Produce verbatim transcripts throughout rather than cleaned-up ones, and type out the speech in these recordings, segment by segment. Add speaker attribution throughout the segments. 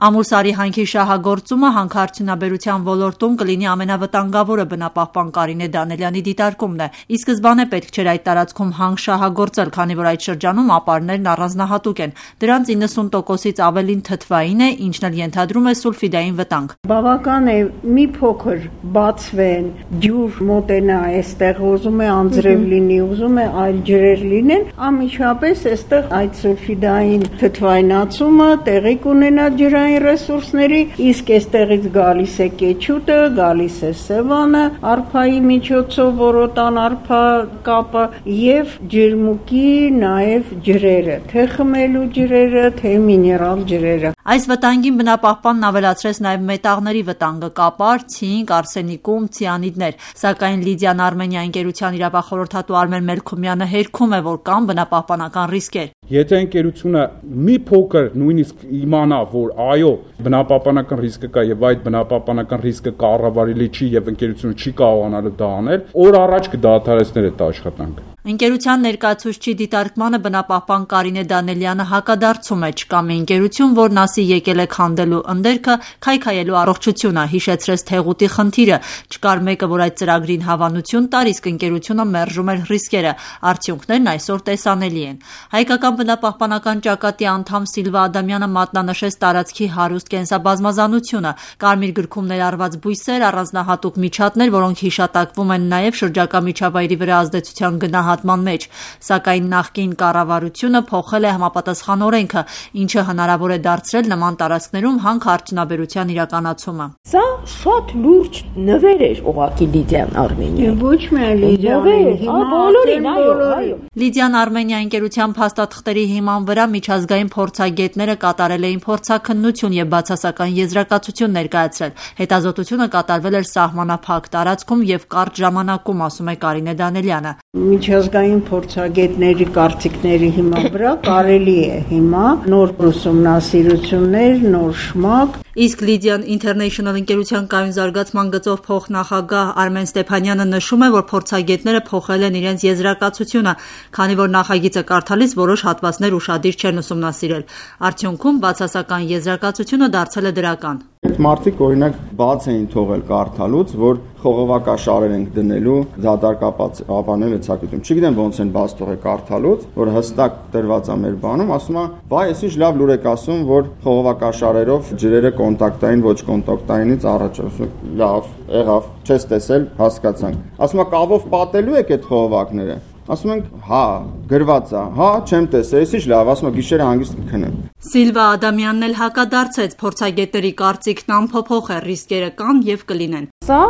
Speaker 1: Ամուլսարի հանքի շահագործումը հանքարդյունաբերության ոլորտում կլինի ամենավտանգավորը բնապահպան Կարինե Դանելյանի դիտարկումն է։ Ի սկզբանե պետք չէր այդ տարածքում հանք շահագործել, քանի որ այդ շրջանում ապարներն առանձնահատուկ են։ Դրանց իննսուն տոկոսից ավելին թթվային է, ինչն էլ ենթադրում է սուլֆիդային վտանգ։
Speaker 2: Բավական է մի փոքր բացվեն, ջուր մոտենա այստեղ, ուզում է անձրև լինի, ուզում է այլ ջրեր լինեն, անմիջապես այստեղ այդ սուլֆիդային թթվայնացումը տեղի կունենա ջրային ռեսուրսների, իսկ այստեղից գալիս է կեչուտը, գալիս է սևանը, արփայի միջոցով որոտան արփա կապը եւ ջերմուկի նաեւ ջրերը, թե խմելու ջրերը, թե միներալ ջրերը։
Speaker 1: Այս վտանգին բնապահպանն ավելացրեց նաև մետաղների վտանգը՝ կապար, ցինկ, արսենիկում, ցիանիդներ։ Սակայն Լիդիան Արմենիա ընկերության իրավախորհրդատու Արմեն Մելքումյանը հերքում է, որ կան բնապահպանական ռիսկեր։
Speaker 3: Եթե ընկերությունը մի փոքր նույնիսկ իմանա, որ այո, բնապահպանական ռիսկը կա եւ այդ բնապահպանական ռիսկը կառավարելի չի եւ ընկերությունը չի կարողանալու դա անել, օր առաջ կդադարեցներ այդ աշխատանքը։
Speaker 1: Ընկերության ներկայացուցչի դիտարկմանը բնապահպան Կարինե Դանելյանը հակադարձում է, չկա մի ընկերություն, որն ասի եկել է քանդելու ընդերքը, քայքայելու առողջությունը, հիշեցրեց Թեղուտի խնդիրը, չկար մեկը, որ այդ ծրագրին հավանություն տար, իսկ ընկերությունը մերժում էր ռիսկերը, արդյունքներն այսօր տեսանելի են։ Հայկական բնապահպանական ճակատի անդամ Սիլվա Ադամյանը մատնանշեց տարածքի հարուստ կենսաբազմազանությունը, կարմիր գրքում ներառված բույսեր, առանձնահատուկ միջատներ, որոնք հիշատակվում են նաև շրջակա միջավայրի վրա ազդեցության գնահատման մեջ, սակայն նախկին կառավարությունը փոխել է համապատասխան օրենքը, ինչը հնարավոր է դարձրել նման տարածքներում հանքարդյունաբերության իրականացումը։
Speaker 4: Սա շատ լուրջ նվեր էր ուղղակի Լիդիան Արմենիա։
Speaker 2: Ոչ միայն Լիդիան,
Speaker 4: հիմա բոլորին, այո, այո։
Speaker 1: Լիդիան Արմենիա ընկերության փաստաթղթերի հիման վրա միջազգային փորձագետները կատարել էին փորձաքննություն եւ բացասական եզրակացություն ներկայացրել։ Հետազոտությունը կատարվել էր սահմանափակ տարածքում եւ կարճ ժամանակում, ասում է Կարինե Դանելյանը։
Speaker 2: Միջազգային փորձագետների կարծիքների հիման վրա կարելի է հիմա նոր ուսումնասիրություններ, նոր շմակ։
Speaker 1: Իսկ Lydian International ընկերության կայուն զարգացման գծով փոխնախագահ Արմեն Ստեփանյանը նշում է, որ փորձագետները փոխել են իրենց եզրակացությունը, քանի որ նախագիծը կարդալիս որոշ հատվածներ ուշադիր չեն ուսումնասիրել։ Արդյունքում բացասական եզրակացությունը դարձել է դրական։
Speaker 5: Այդ մարդիկ օրինակ բաց էին թողել կարդալուց, որ խողովակաշարեր ենք դնելու դատարկապած ապանել ցակիտում։ Չգիտեմ ոնց են բաց թողել կարդալուց, որ հստակ դրված է մեր բանում, ասում է, «Վայ, ես ինչ լավ լուր եք ասում, որ խողովակաշարերով ջրերը կոնտակտային, ոչ կոնտակտայինից առաջ»։ Ասում լավ, եղավ, չես տեսել, հասկացանք։ Ասում է, «Կավով պատելու եք այդ խողովակները»։ Ասում ենք, հա, գրված է, հա, չեմ տեսել, ես ինչ լավ, ասում եմ, գիշերը հանգիստ կքնեմ։
Speaker 1: Սիլվա Ադամյանն էլ հակադարձեց, փորձագետների կարծիքն անփոփոխ է, ռիսկերը կան եւ կլինեն։
Speaker 4: Սա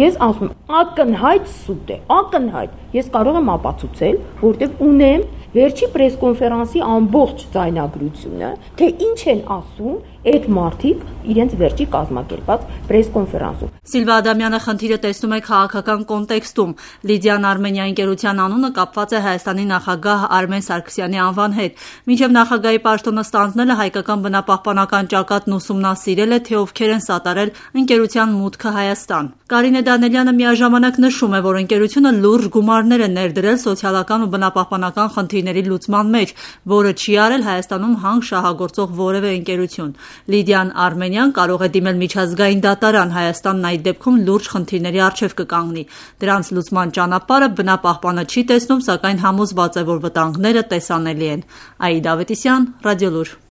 Speaker 4: ես ասում եմ, ակնհայտ սուտ է, ակնհայտ։ Ես կարող եմ ապացուցել, որտեղ ունեմ վերջի պրեսկոնֆերանսի ամբողջ ձայնագրությունը, թե ինչ են ասում այդ մարդիկ իրենց վերջի կազմակերպած պրեսկոնֆերանսում։
Speaker 1: Սիլվա Ադամյանը խնդիրը տեսնում է քաղաքական կոնտեքստում։ Լիդիան Արմենիա ընկերության անունը կապված է Հայաստանի նախագահ Արմեն Սարգսյանի անվան հետ։ Մինչև նախագահի պաշտոնը ստանձնելը հայկական բնապահպանական ճակատն ուսումնասիրել է, թե ովքեր են սատարել ընկերության մուտքը Հայաստան։ Կարինե Դանելյանը միաժամանակ նշում է, որ ընկերությունը լուրջ գումարներ է ներդրել սոցիալական ու բնապահպանական խնդիրների լուծման մեջ, որը չի արել Հայաստանում հանք շահագործող որևէ ընկերություն։ Լիդիան Արմենիան կարող է դիմել միջազգային դատարան, Հայաստանն այդ դեպքում լուրջ խնդիրների առջև կկանգնի։ Դրանց լուծման ճանապարհը բնապահպանը չի տեսնում, սակայն համոզված է, որ վտանգները տեսանելի են։ Աիդա Ավետիսյան, Ռադիոլուր։